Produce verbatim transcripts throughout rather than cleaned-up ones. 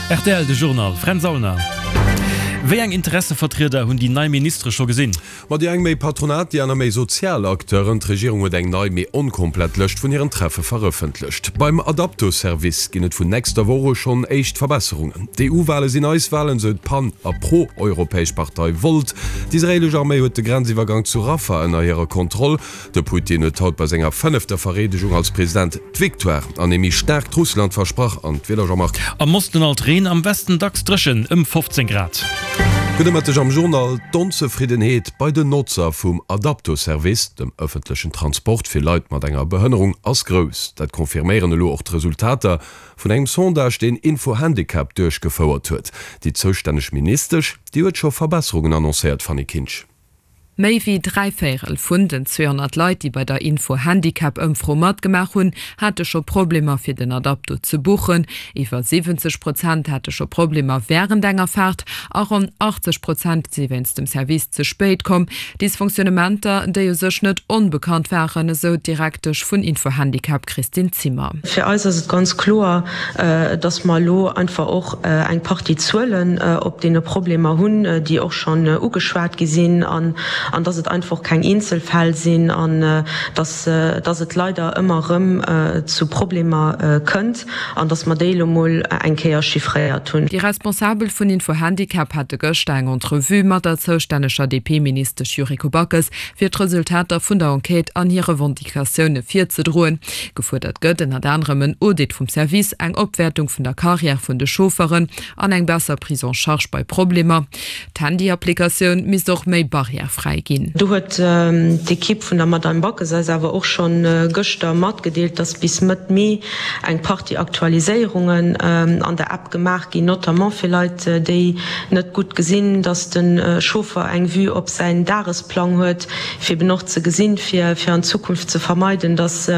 Rtl, De Journal, Fränz Aulner. Wéi eng Interessevertrieder hunn déi nei Ministere scho gesinn? Ma déi eng méi Patronat, déi aner méi sozial Acteuren. D'Regierung huet eng nei, mee onkomplett Lëscht vun hiren Treffe verëffentlecht. Beim Adapto-Service ginn et vun nächster Woch u schonn éischt Verbesserungen. D'EU-Wale sinn eis Walen, sou d'pan a pro-europäesch Partei Volt. D'israeelesch Arméi huet de Grenziwwergang zu Rafah ënner hirer Kontroll. De Putin huet haut bei senger fënnefter Vereedegung als President d'Victoire an ee méi staarkt Russland versprach. An d'Wieder, Jean-Marc? Am Osten alt Reen, am Westen dacks dréchen, ëm fofzéng Grad. Gudde Mëtteg am Journal. D'Onzefriddenheet bei den Notzer vum Adapto-Service, dem ëffentlechen Transport fir Leit mat enger Behënnerung, ass grouss. Dat confirméieren elo och d'Resultater vun engem Sondage, deen Info-Handicap duerchgefouert huet. Déi zoustänneg Ministesch, déi huet scho Verbesserungen annoncéiert, Fanny Kinsch. Méi wéi dräi Véierel vun den zweehonnert Leit, déi bei der Info-Handicap-Ëmfro matgemaach hunn, hate scho Problemer fir den Adapto ze buchen. Iwwer siwwenzeg Prozent hate scho Problemer wärend enger Faart a ronn achtzeg Prozent si wéinst dem Service ze spéit komm. Dysfonctionnementer, déi u sech net onbekannt waren, esou d'Direktesch vun Info-Handicap Christine Zimmer. Fir eis ass et ganz kloer, dass mer elo einfach och eng Partie Zuelen op deene Problemer hunn, déi och schonn ugeschwat gi sinn. an dass et einfach keng Eenzelfäll sinn an dass dass et leider ëmmer erëm zu Problemer kënnt an dass mer déi elo mol eng Kéier chiffréiert hunn. Déi Responsabel vun Info-Handicap hate gëschter eng Entrevue mat der zoustänneger D P-Ministesch Yuriko Backes, fir d'Resultater vun der Enquête an hir Revendicatioune virzedroen. Gefuerdert gëtt ënnert anerem en Audit vum Service, eng Opwäertung vun der Carrière vun de Chaufferen an eng besser Prise en charge bei Problemer. D'Handy-Applikatioun misst och méi barrièrefräi ginn. Do huet d'Ekipp vun der Madame Backes eis awer och scho gëschter matgedeelt, dass bis Mëtt Mee eng Partie Aktualiséierungen an der App gemaach ginn, notamment fir Leit, déi net gutt gesinn, dass de Chauffer eng Vue op säin Dagesplang huet, fir eben och ze gesinn, fir an Zukunft ze vermeiden, dass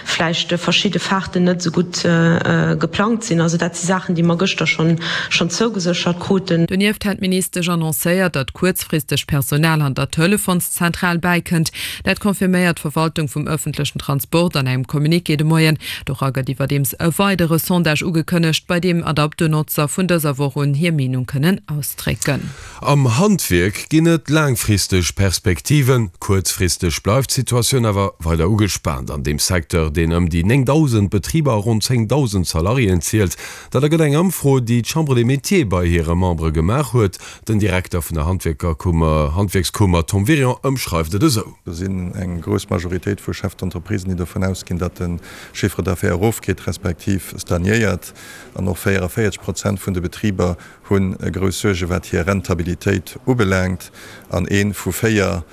vläicht verschidde Faarten net esou gutt geplangt sinn. Also dat si Saachen, déi mer gëschter schonn zougeséchert kruten. Donieft hätt d'Ministesch annoncéiert, datt kuerzfristeg Personal an der Telefonszentral bäikënnt. Dat confirméiert d'Verwaltung vum ëffentlechen Transport an engem Communiqué de Moien. Dora gëtt iwwerdeems e weidere Sondage ugekënnegt, bei deem Adapto-Notzer vun dëser Woch un hir Meenung kënnen ausdrécken. Am Handwierk ginn et laangfristeg Perspektiven, kuerzfristeg bleift d'Situatioun awer weider ugespaant an deem Secteur, deen ëm déi néngdausend Betriber a ronn zéngdausend Salariéen zielt. Dat ergëtt eng Ëmfro, déi d'Chambre des Métiers bei hire Membere gemaach huet. Den Direkter vun der Handwierkerkummer, Handwierkskummer Tom Wirion ëmschreift et esou. Do sinn eng grouss Majoritéit vu Chefs d'entreprisen, déi dovun ausginn, datt de Chiffre d'affaires erofgeet, respektiv stagnéiert. An och véierundavéierzeg Prozent vun de Betriber hu grouss Suerge wat hir Rentabilitéit ubelaangt. An ee vu véier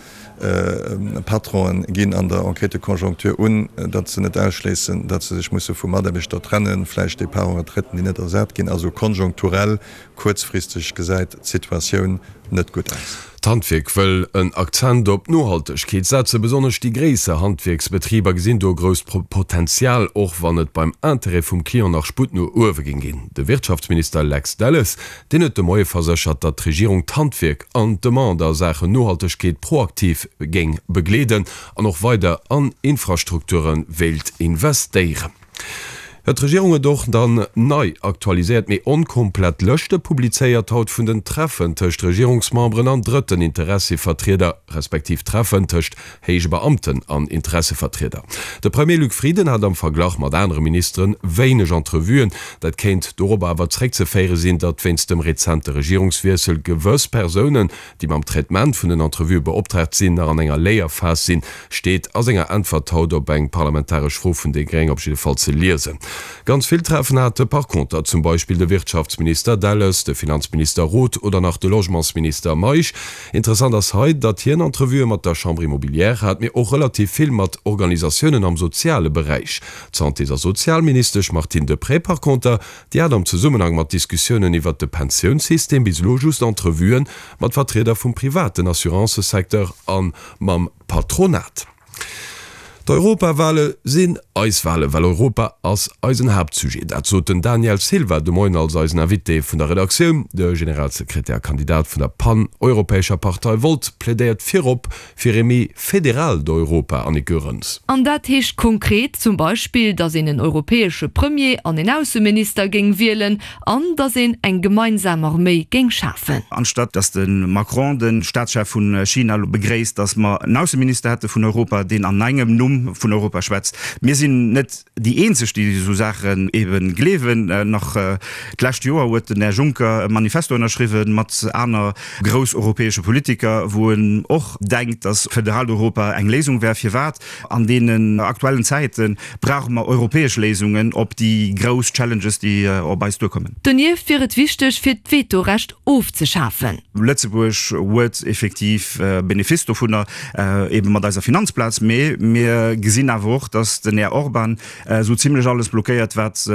Patronen ginn an der Enquête de conjoncture un, datt se net ausschléissen, datt se sech musse vu Mataarbechter trennen, vläicht Départs en retraite, déi net ersat ginn. Also konjunkturell, kuerzfristeg gesäit d'Situatioun net gutt aus. D'Handwierk wëll en Akzent op d'Nohaltegkeet setzen. Besonnesch déi gréisser Handwierksbetriber gesinn do e grousst Potenzial, och wann et beim Interêt vum Client nach Sputt no uewe géing ginn. De Wirtschaftsminister Lex Delles, deen huet de Moie verséchert, datt d'Regierung d'Handwierk an d'Demande a Saachen Nohaltegkeet proaktiv géing begleeden an och weider an Infrastrukture wéilt investéieren. D'Regierung huet och dann nei aktualiséiert, mee onkomplett Lëschte publizéiert haut vun den Treffen tëscht Regierungsmemberen an drëtten Interessevertrieder, respektiv Treffen tëscht héije Beamten an Interessevertrieder. De Premier Luc Frieden hat am Verglach mat anere Ministere wéineg Entrevuen. Dat kéint dorobber awer zréckzeféiere sinn, datt wéinst dem rezente Regierungswiessel gewëss Persounen, déi mam Traitement vun den Entrevuë beoptraagt sinn, nach an enger Léierphas sinn, steet a senger Äntwert haut op eng parlamentaresch Fro vun déi Gréng op jidde Fall ze liesen. Ganz vill Treffen hate par conter zum Beispill de Wirtschaftsminister Delles, de Finanzminister Roth oder nach de Logementsminister Meisch. Interessant ass hei, datt hien Entrevuë mat der Chambre immobilière hat, mee och relativ vill mat Organisatiounen am soziale Beräich. D'Santés a Sozialministesch Martine Deprez par conter, déi hat am Zesummenhang mat Diskussiounen iwwert de Pensiounssystem bis elo just Entrevuë mat Vertrieder vum privaten Assurancësecteur a mam Patronat. D'Europawale sinn eis Wale, well Europa ass eisen Haaptsujet. Dat sot den Daniel Silva de Moien als eisen Invité vun der Redaktioun. De Generalsekretär a Kandidat vun der pan-europäescher Partei Volt plädéiert virop fir ee méi federaalt Europa, Annick Goerens. An dat heescht konkret zum Beispill, datt een en europäesche Premier an een Ausseminister géing wielen an datt een eng gemeinsam Arméi géing schafen. Anstatt datt de Macron, de Staatschef vu China, elo begréisst, datt mer en Ausseminister hätte vun Europa, deen an engem Numm vun Europa schwätzt. Mir sinn net déi eenzeg, déi esou Saachen ebe gleewen. Nach d'lescht Joer huet den Här Juncker e Manifesto ënnerschriwwen mat aner grouss europäesche Politiker, wou en och denkt, datt föderalt Europa eng Léisung wär. Firwat? An deenen aktuellen Zäite brauche mer europäesch Léisungen op déi grouss Challenges, déi op eis duerkommen. Donieft wier et wichteg, fir d'Vetorecht ofzeschafen. Lëtzebuerg huet effektiv Benefice dovunner, ebe mat eiser Finanzplaz, mee mir gesinn awer och, datt den Här Orban esou zimlech alles blockéiert, wat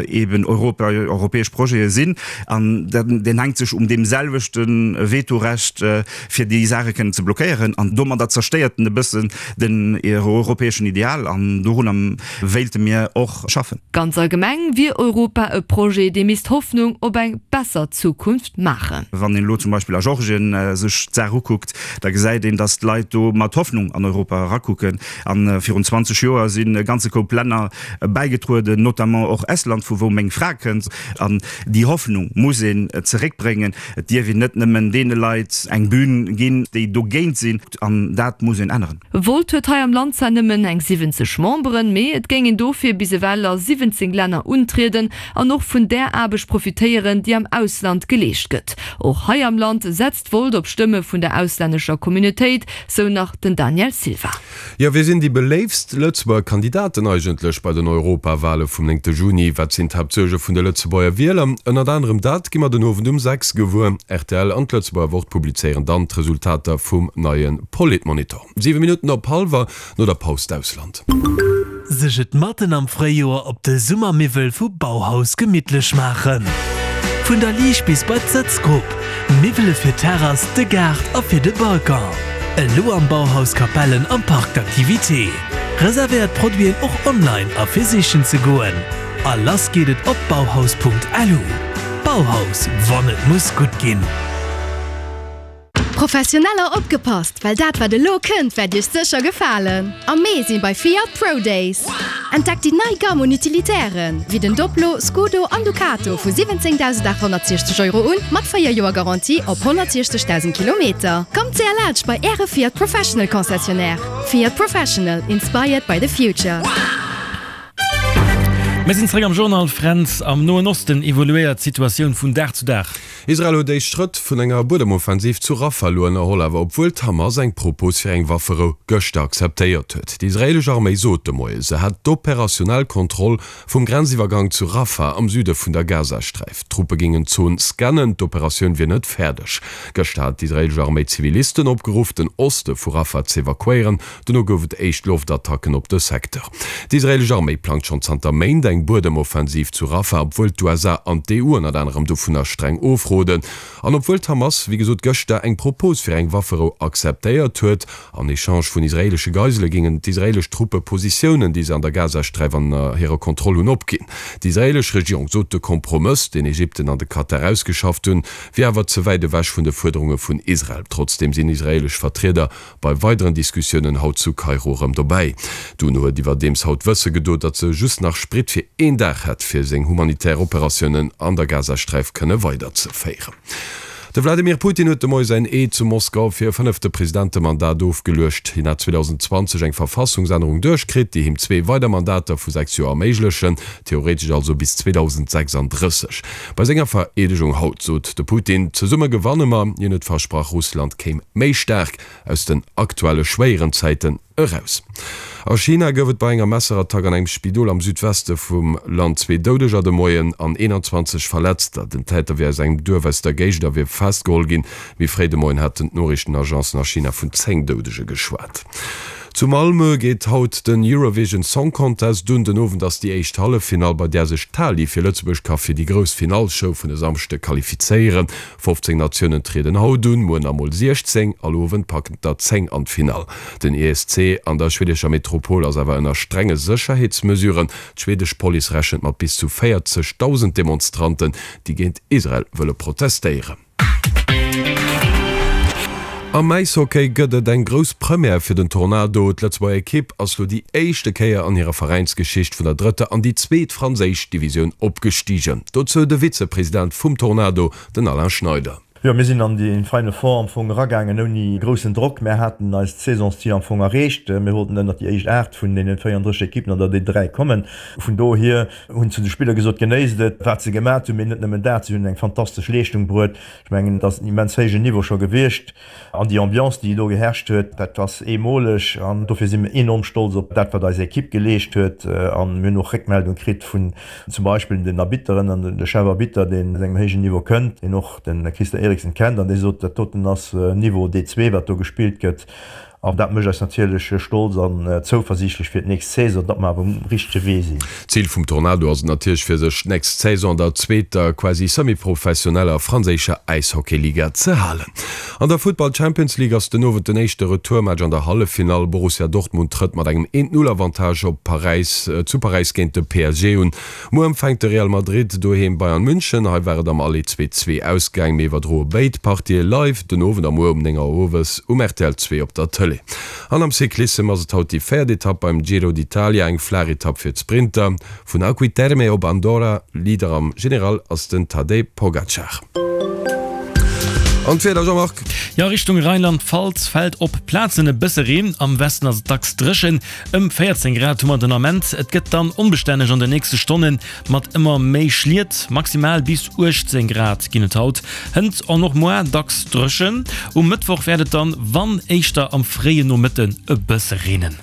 eben Europa, europäesch Projete sinn. An deen hänkt sech um deem selwechte Vetorecht, fir déi Saache kënnen ze blockéieren. An domadder zerstéiert en e bëssen den europäeschen Ideal. An dorunner wéilte mir och schaffen. Ganz allgemeng wier Europa e Projet, dee misst Hoffnung op eng besser Zukunft maachen. Wann een elo zum Beispill a Georgien sech d'Saach ukuckt, da gesäit een, datt d'Leit do mat Hoffnung an Europa erakucken. A virun zwanzeg Joer sinn e ganze Koup Länner bäigetrueden, notamment och Estland, vu wou meng Fra kënnt. An déi Hoffnung muss een zeréckbréngen. Et dierf een net nëmmen deene Leit eng Bühn ginn, déi dogéint sinn. An dat muss een änneren. Volt huet hei am Land zwar nëmmen eng siwwenzeg Memberen, mee et géing een dofir bis ewell a siwwenzéng Länner untrieden an och vun där Aarbecht profitéieren, déi am Ausland geleescht gëtt. Och hei am Land setzt Volt op Stëmme vun der auslännescher Communautéit, sou nach den Daniel Silva. Jo, wie sinn déi beléiftst Lëtzebuerger Kandidaten eigentlech bei den Europawale vum néngte Juni? Wat sinn d'Haaptsuerge vun de Lëtzebuerger Wieler? Ënnert anerem dat gi mer den Owend um sechs gewuer. Rtl an d'Lëtzebuerger Wort publizéieren dann d'Resultater vum neie Politmonitor. Siwe Minutten op hallwer, no der Paus d'Ausland. Sech et matten am Fréijoer op de Summermiwwel vu Bauhaus gemittlech maachen. Vun der Liicht bis bei d'Sëtzgrupp, Miwwele fir d'Terrass, de Gaart a fir de Balcon. Elo am Bauhaus Capellen am Parc d'activités. Reservéiert d'Produiten och online a fir sichen ze goen. A lass geet et op bauhaus.lu. Bauhaus, wann et muss gutt ginn. Professioneller opgepasst, well dat wat elo kënnt wäert iech sécher gefalen! Am Mee sinn bei Fiat Pro Days! Entdeckt déi nei Gamm un Utilitairen, wéi den Doblo, Scudo an Ducato vu siwwenzéngdausendaathonnertsiechzeg Euro un, mat véier Joer Garantie op honnertsiechzegdausend Kilometer. Kommt séier laanscht bei Äre Fiat Professional Concessionnaire. Fiat Professional, inspired by the future. Mir sinn zeréck am Journal. Fränz, am Noen Osten evoluéiert d'Situatioun vun Dag zu Dag. Israel huet éischt Schrëtt vun enger Buedemoffensiv zu Rafah elo ënnerholl, awer obwuel d'Hamas eng Propos fir eng Wafferou gëschter akzeptéiert huet. Déi israeelesch Arméi sot de Moie, se hätt d'operationell Kontroll vum Grenziwwergang zu Rafah am Süde vun der Gazasträif. D'Truppe géingen d'Zon scannen, d'Operatioun wier net fäerdeg. Gëschter hat d'israeelesch Arméi Zivilisten opgeruff, den Oste vu Rafah z'evakuéieren. Dono gouf et éischt Loftattacken op de Secteur. D'israeelesch Arméi plangt schonn zanter Méint eng Buedemoffensiv zu Rafah, obwuel d'USA an d'EU ënnert anerem dovunner streng ofroden. An obwuel d'Hamas, wéi gesot, gëschter eng Propos fir eng Wafferou akzeptéiert huet. En Echange vun israeelesche Geisele géingen d'israeelesch Truppe Positiounen, déi se an der Gazasträif an hirer Kontroll hunn, opginn. D'israeelesch Regierung sot, de Kompromëss, deen Ägypten an de Katar ausgeschafft hunn, wier awer ze wäit ewech vun de Fuerderunge vun Israel. Trotzdeem sinn israeelesch Vertrieder bei weideren Diskussiounen haut zu Kairo erëm dobäi. D'UNO huet iwwerdeems haut wësse gedo, datt se just nach Sprit fir een Dag hätt, fir seng humanitär Operatiounen an der Gazasträif kënne weiderzeféieren. De Wladimir Putin huet de Moie säin Eed zu Moskau fir e fënnefte Presidentemandat ofgeluecht. Hien hat zweedausendzwanzeg eng Verfassungsännerung duerchkritt, déi him zwee weider Mandater vu sechs Joer erméiglechen, theoretesch also bis zweedausendsechsanddrësseg. Bei senger Vereedegung haut sot de Putin, Zesumme gewanne mer. Hien huet versprach, Russland kéim méi staark aus den aktuelle schwéieren Zäiten eraus. A China gouf et bei enger Messerattack an engem Spidol am Südweste vum Land zwee Doudeger de Moien an eenanzwanzeg Verletzter. Den Täter wier aus engem Duerf aus der Géigend a wier festgeholl ginn. Méi fréi de Moien haten d'Noriichtenagencen a China vun zéng Doudege geschwat. Zu Malmö geet haut den Eurovision Song Contest un. Den Owend ass déi éischt Halleffinall, bei där sech d'Tali fir Lëtzebuerg ka fir déi grouss Finallshow vun e Samschde qualifizéieren. fofzéng Natiounen trieden haut un, muer namol siechzéng. All Owend packen der zéng an d'Finall. Den E S C an der schwedescher Metropol ass awer ënner strenge Sécherheetsmesuren. D'schwedesch Police rechent mat bis zu véierzegdausend Demonstranten, déi géint Israel wëlle protestéieren. Am Äishockey gëtt et eng grouss Première fir den Tornado. D'Lëtzebuerger Ekipp ass lo déi éischte Kéier an hirer Veräinsgeschicht vun der drëtter an déi zweet franséisch Divisioun opgestigen. Dozou de Vizepresident vum Tornado, den Alain Schneider. Jo, mir sinn an déi Final Four am Fong eragaangen ouni groussen Drock. Mär haten eist Saisonszil am Fong erreecht. Mir wollten ënnert déi éischt aacht vun deenen véierunddrësseg Ekippen an der D dräi kommen. Vun dohier hunn zu de Spiller gesot, Genéisst et, wat se gemat hunn. Mee net nëmmen dat, si hunn eng fantastesch Leeschtung bruet. Ech mengen, et ass en immens héijen Niveau scho gewiescht. An déi Ambiance, déi do geherrscht huet, dat ass eemoleg. An dofir si mir enorm stolz op dat, wat eis Ekipp geleescht huet. An mir hunn och Réckmeldung kritt vun zum Beispill den Arbitteren an de Chefarbitter, deen aus engem héijen Niveau kënnt, deen och de Christer Eriksson kennt an dee sot, dat doten ass Niveau D zwee, wat do gespillt gëtt. An dat mécht eis natierlech stolz an zouversiichtlech fir d'nächst Saison, datt mer awer um richtege Wee sinn. Zil vum Tornado ass et natierlech fir sech d'nächst Saison an der zweeter quasi semi-professioneller franséischer Äishockeyliga ze halen. An der Futtball Champions League ass den Owend den éischte Retourmatch an der Halleffinall. Borussia Dortmund trëtt mat engem Eent-Null-Avantage op Paräis zu Paräis géint de P S G un. Muer empfänkt de Real Madrid doheem Bayern München. Hei war et am Aller zwee zwee ausgaang. Mir iwwerdroe béid Partië live den Owend a muer um néng Auer owes um R T L zwee op der Tëlee. An am Cyclissem ass et haut déi véiert Etapp beim Giro d'Italia, eng flaach Etapp fir d'Sprinter. Vun Acqui Terme op Andorra. Leader am General ass den Tadej Pogacar. An d'Wieder, Jean-Marc? Jo, Richtung Rheinland-Pfalz fält op Plazen e bësse Reen, am Westen ass et dacks dréchen. Ëm véierzéng Grad hu mer den Ament. Et gëtt dann onbestänneg an de nächste Stonne mat ëmmer méi Schliet, maximal bis uechtzéng Grad ginn et haut. Hënt an och muer dacks dréchen. Um Mëttwoch wäert et dann, wann éischter am fréie Nomëtten, e bësse reenen.